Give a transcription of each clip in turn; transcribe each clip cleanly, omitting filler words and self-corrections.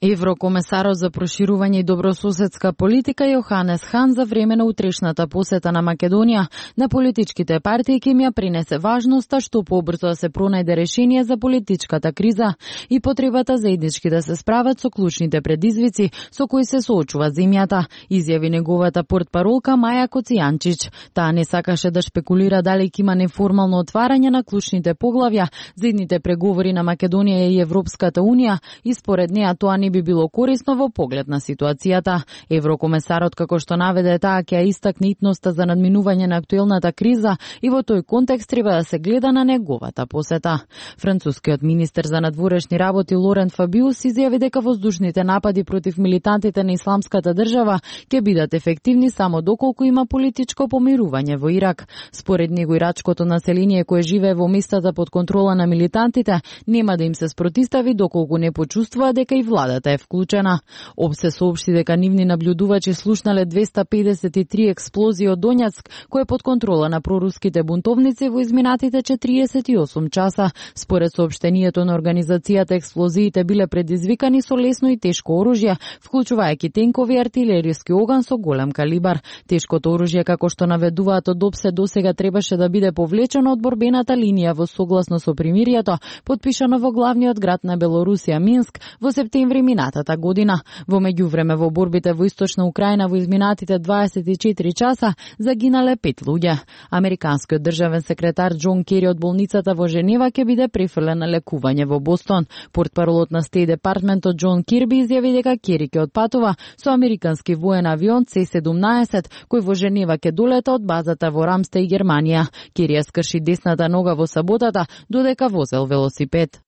Еврокомесарот за проширување и добрососедска политика Јоханес Хан за време на утрешната посета на Македонија на политичките партии ќе ја принесе важноста што побрзо да се пронајде решение за политичката криза и потребата заеднички да се справат со клучните предизвици со кои се соочува земјата, изјави неговата портпаролка Маја Коцијанчич. Таа не сакаше да шпекулира дали ќе има неформално отварање на клучните поглавја за идните преговори на Македонија и Европската унија и според неа тоа не би било корисно во поглед на ситуацијата. Еврокомесарот, како што наведе, таа ќе истакне итноста за надминување на актуелната криза и во тој контекст треба да се гледа на неговата посета. Францускиот министер за надворешни работи Лорен Фабиус изјави дека воздушните напади против милитантите на Исламската држава ќе бидат ефективни само доколку има политичко помирување во Ирак. Според него ирачкото население кое живее во местата под контрола на милитантите нема да им се спротистави доколку не почувствува дека и владата е вклучена. ОПСЕ соопшти дека нивни наблюдувачи слушнале 253 експлозии од Доњацк, кој е под контрола на проруските бунтовници во изминатите 48 часа. Според соопштението на организацијата, експлозиите биле предизвикани со лесно и тешко оружје, вклучувајќи тенкови и артилериски оган со голем калибар. Тешкото оружје, како што наведуваат од ОПСЕ, досега требаше да биде повлечено од борбената линија во согласно со примирието, подпишано во главниот град на Белорусија Минск во септември минатата година. Во меѓувреме во борбите во источна Украина во изминатите 24 часа загинале 5 луѓе. Американскиот државен секретар Џон Кери од болницата во Женева ќе биде префрлен на лекување во Бостон. Портпаролот на Стейт департментот Џон Кирби изјави дека Кери ќе отпатува со американски воен авион C-17 кој во Женева ќе долета од базата во Рамстеј, Германија. Кери ја скрши десната нога во саботата додека возел велосипед.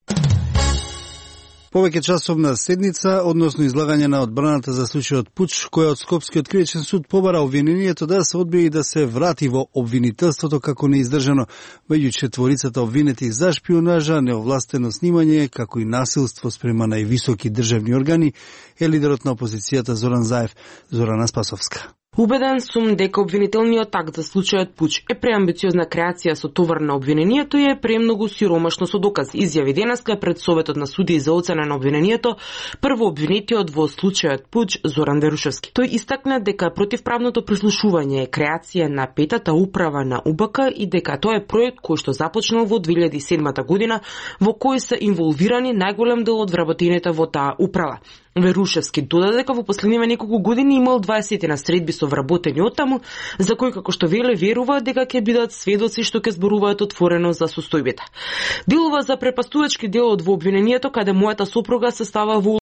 Повеќе часовна седница, односно излагање на одбраната за случајот пуч, која од Скопскиот кривичен суд побара обвинението да се одбие и да се врати во обвинителството како неиздржано, меѓу четворицата обвинети за шпионажа, неовластено снимање, како и насилство спрема највисоки државни органи, е лидерот на опозицијата Зоран Заев. Зорана Спасовска. Убеден сум дека обвинителниот акт за случајот пуч е преамбициозна креација со товар на обвинението и е премногу сиромашно со докази, изјави денеска пред Советот на судии за оцена на обвинението прво обвинетиот во случајот пуч Зоран Верушевски. Тој истакна дека противправното прислушување е креација на петата управа на УБК и дека тоа е проект кој што започнал во 2007 година, во кој се инволвирани најголем дел од вработените во таа управа. Верушевски додаде дека во последниве неколку години имал 20 на средби со вработени оттаму, за кои како што веле верува дека ќе бидат сведоци што ќе зборуваат отворено за состојбите. Делува за препастувачки дел од во обвинението каде мојата сопруга се става во